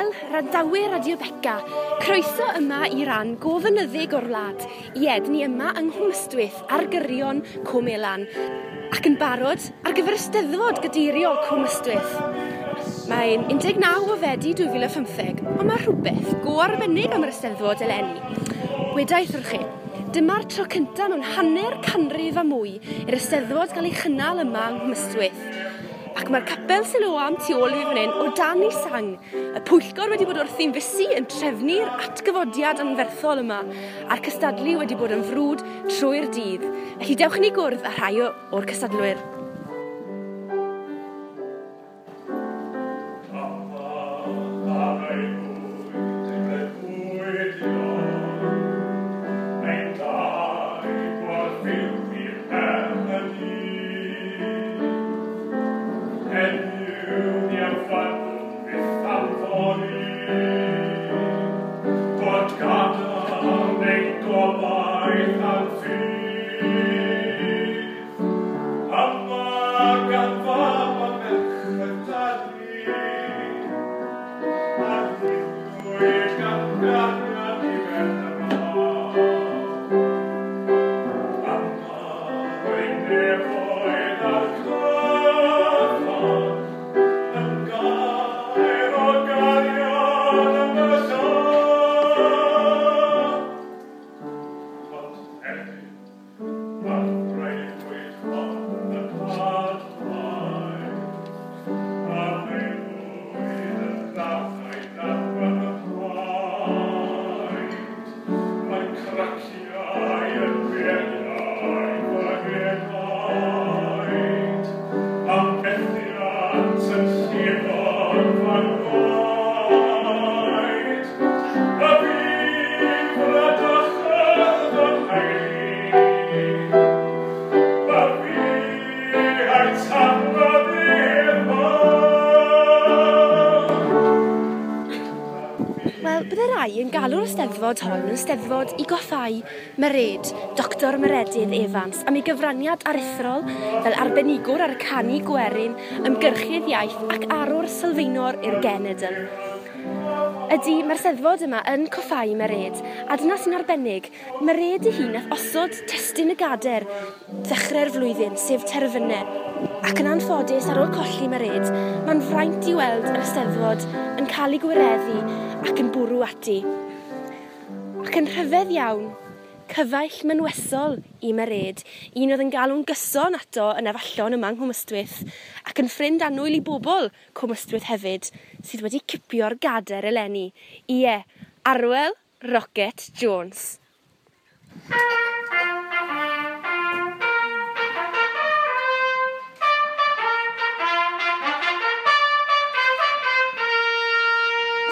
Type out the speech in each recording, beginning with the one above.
Wel, randawyr Radio Beca, croeso yma i ran go fynyddig o'r wlad. Ie, dyn ni yma yng Nghwm Ystwyth ar gyrion Cwm Elan ac yn barod ar gyfer y Steddfod Gadeiriol Cwm Ystwyth. Mae'n 19 o Fedi 2015, ond mae rhywbeth go arbennig am yr Eisteddfod eleni. Wedaith wrth chi, dyma'r tro cyntaf mewn hanner canrif a mwy i'r Eisteddfod gael ei chynnal yma yng Nghwm Ystwyth. Ac mae'r capel Siloam tu ôl i fi fan hyn o dan ei sang. Y pwyllgor wedi bod wrthi'n fysu yn trefnu'r atgyfodiad anferthol yma a'r cystadlu wedi bod yn frwd trwy'r dydd. Felly dewch i ni gwrdd â rhai o'r cystadlwyr. Wel, bydde rai yn galw'r Eisteddfod hon yn Steddfod i goffau Mered, Dr Meredydd Evans, am ei gyfraniad aruthrol fel arbenigwr ar y canu gwerin, ymgyrchydd iaith ac arwr sylfaenol i'r genedl. Ydy, mae'r Steddfod yma yn coffau Mered, a dyna sy'n arbennig. Mered ei hun nath osod testun y gader ddechrau'r flwyddyn, sef terfynau. Ac yn anffodus, ar ôl colli Mered, mae'n fraint i weld yr Eisteddfod yn cael ei gwireddu ac yn bwrw ati. Ac yn rhyfedd iawn, cyfaill mynwesol i Mered, un oedd yn galw'n gyson ato yn Afallon yma yng Nghwm Ystwyth, ac yn ffrind annwyl i bobl Cwm Ystwyth hefyd, sydd wedi cipio'r gader eleni. Ie, Arwel Rocket Jones.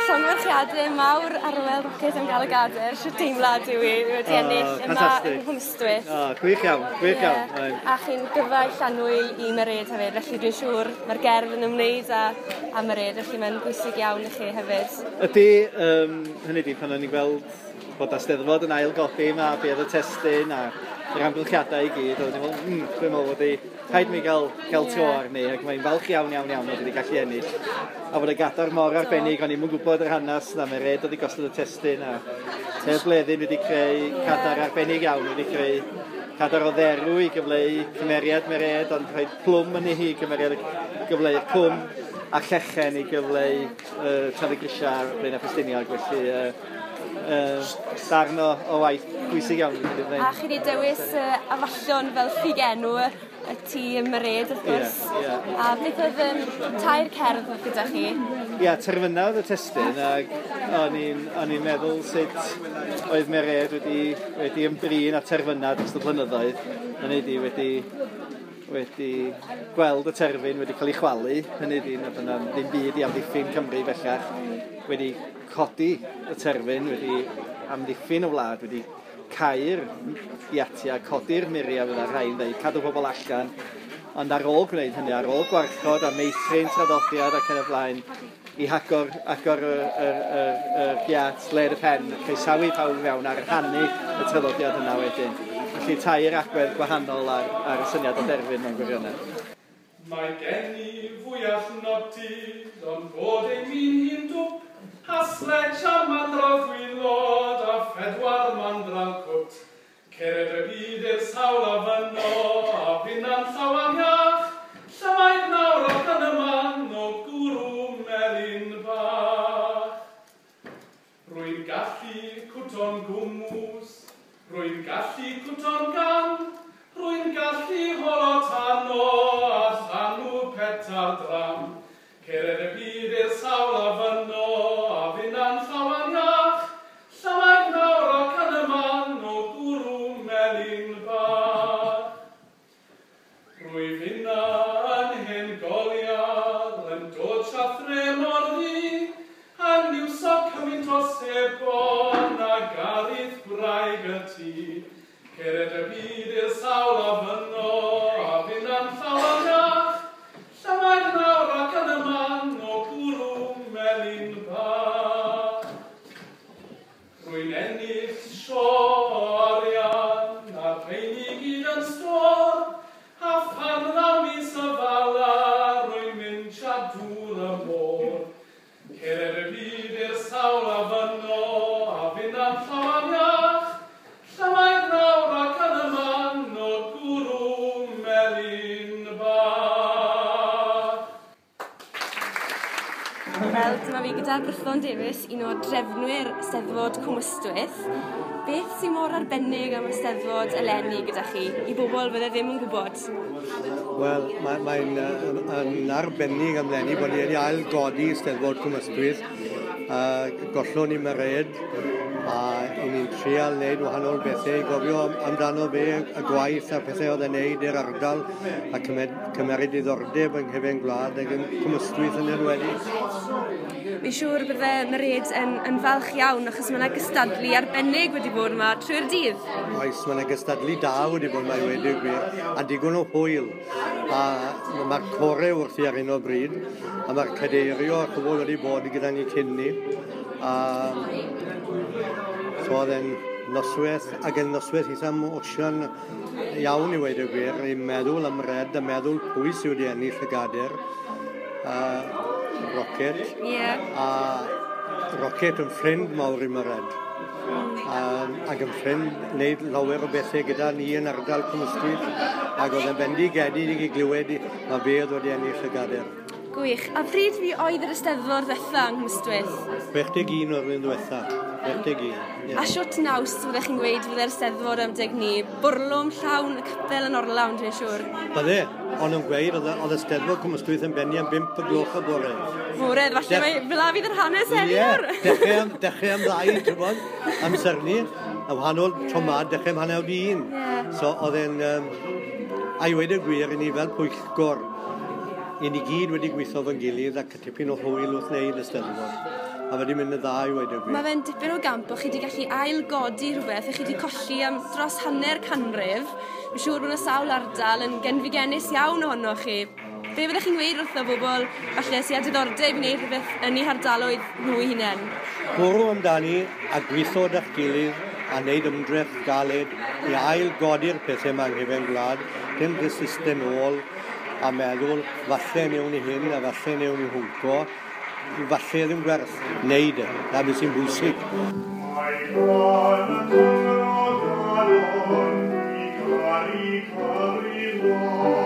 Llongyfarchiadau mawr Arwel Rocket am gael y gader. Shwt deimlad yw i wedi ennill yma yng Nghwm Ystwyth? O, gwych iawn, gwych iawn. A chi'n gyfaill annwyl i Mered hefyd, felly dwi'n siŵr mae'r gerdd yn ymwneud â Mered, felly mae'n bwysig iawn i chi hefyd. Ydy, hynny ydi, pan o'n i'n gweld bod Eisteddfod yn ail godi yma, be oedd y testun a'r amgylchiadau i gyd, oedden ni'n meddwl, dwi'n meddwl bod rhaid mi gael tro arni, ac mae'n falch iawn, iawn, iawn bod wedi gallu ennill. A bod y gadar mor arbennig, o'n i'm yn gwybod yr hanes na Mered oedd wedi gosod y testun, a Hedd Bleddyn wedi creu cadar arbennig iawn, wedi creu cadar o dderw i gyfleu cymeriad Mered, ond rhaid plwm yn ei hi cymeriad gyfleu'r cwm, a llechen i gyfleu Tan-y-grisiau ar Blaenau Ffestiniog, felly darn o waith bwysig iawn. A chi wedi dewis Afallon fel ffugenw y tîm Mered, wrth gwrs. Yeah, yeah. A beth oedd tair cerdd oedd gyda chi? Ie, yeah, terfynau oedd y testun, ac o'n i'n meddwl sut oedd Mered wedi ymdrin â terfynau dros y blynyddoedd. Hynny ydi, wedi gweld y terfyn wedi cael ei chwalu, hynny ydi, nad yna ddim byd i amddiffyn Cymru bellach, wedi codi y terfyn, wedi amddiffyn y wlad, wedi cau'r giatiau, codi'r muriau fydda rhai'n dweud, cadw pobl allan, ond ar ôl gwneud hynny, ar ôl gwarchod a meithrin traddodiad ac yn y blaen, i agor y giat led y pen, croesawu pawb fewn a rhannu y traddodiad yna wedyn. Felly tair agwedd gwahanol ar y syniad o derfyn mewn gwirionedd. Mae gen i fwyall nodydd, ond bod ei min hi'n dwp, A sledge a mandral gwylod a phedwar mandral cwt. Cered y byd i'r sawl a fyno, a finna'n llawan iach. Llymaid nawr ac yn y man o gwrw melyn bach. Rwy'n gallu cwto'n gwmws, rwy'n gallu cwto'n gan, rwy'n gallu holo tano a llanw petar dram. Cered y byd i'r sawl a fyno, a finna'n llawan iach, llymaid nawr ac yn y man o gwrw melyn bach. Rwy finna yn hen goliad, yn dod siathre mor ddu, a niwso cymaint o sebon a garith gwraig y tŷ. Cered y byd i'r sawl a fyno, a finna'n llawan iach, llymaid nawr ac yn y man o gwrw melyn bach. Rwy'n ennill sio arian a'r rheini gyd yn stôr, a phan ddaw mis y fala rwy'n mynd sia dŵr y môr. Cered y byd i'r sawl a fyno, a finna'n llawan iach, llymaid nawr ac yn y man o gwrw melyn bach. Wel, dyma fi gyda Brython Davies, un o drefnwyr Steddfod Cwm Ystwyth. Beth sy'n mor arbennig am y Steddfod eleni gyda chi, i bobl fydde ddim yn gwybod? Wel, mae'n yn arbennig am eleni bod ni wedi ail-godi Steddfod Cwm Ystwyth. Gollon ni Mered, a i ni'n trial wneud wahanol bethau i gofio amdano fe, y gwaith a'r pethau oedd e'n wneud i'r ardal, a cymeryd diddordeb yng nghefen gwlad ac yn Cwm Ystwyth yn enwedig. Fi'n siŵr bydde Mered yn falch iawn, achos mae yna gystadlu arbennig wedi bod yma trwy'r dydd. Oes, mae yna gystadlu da wedi bod yma i weud y gwir, a digon o hwyl. A mae'r core wrthi ar hyn o bryd, a mae'r cadeirio a chwbl wedi bod gyda ni cyn ni. A so oedd e'n noswaith, ac yn noswaith eitha emosiwn iawn i weud y gwir, i meddwl am Red a meddwl pwy sydd wedi ennill y gader. Rocket. A Rocket yn ffrind mawr i Mered. Ac yn ffrind wneud lawer o bethau gyda ni yn ardal Cwm Ystwyth, ac oedd yn bendigedig i glywed mae fe oedd wedi ennill y gader. Gwych. A pryd fi oedd yr Eisteddfod ddwetha yng Nghwm Ystwyth? 61 o'r flwyddyn ddiwetha. 61. Yeah. A siwt naws fyddech chi'n gweud fydde'r Eisteddfod am deg ni? Bwrlwm llawn, y capel yn orlawn, dwi'n siŵr. Bydde, ond yn gweud, oedd y Steddfod Cwm Ystwyth yn benni am 5 y gloch y bore. Bore, falle mae fel 'a fydd yr hanes heddi nawr. Ie, dechrau am 2, ti'n gwybod, amser ni, a wahanol tro 'ma, dechrau am 1:30. So oedd e'n, a i weud y gwir, i ni fel pwyllgor, i ni gyd wedi gweithio fo'n gilydd ac tipyn o hwyl wrth wneud y Steddfod. A wedi mynd yn dda i weud y gwir. Mae fe'n dipyn o gamp bod chi wedi gallu ail-godi rhywbeth a chi wedi colli am dros hanner canrif. Fi'n siŵr bod yna sawl ardal yn genfigennus iawn ohonoch chi. Be fyddech chi'n gweud wrtho bobl falle sydd â diddordeb i wneud rhywbeth yn eu hardaloedd nhw eu hunain? Bwrw amdani a gweithio da'ch gilydd a wneud ymdrech galed i ail-godi'r pethau yma yng nghefen gwlad, dim resistau nôl a meddwl falle newn ni hyn a falle newn ni hwnco, falle ddim gwerth wneud e, na beth sy'n bwysig. Mae gan y Cymro galon i garu Cymru.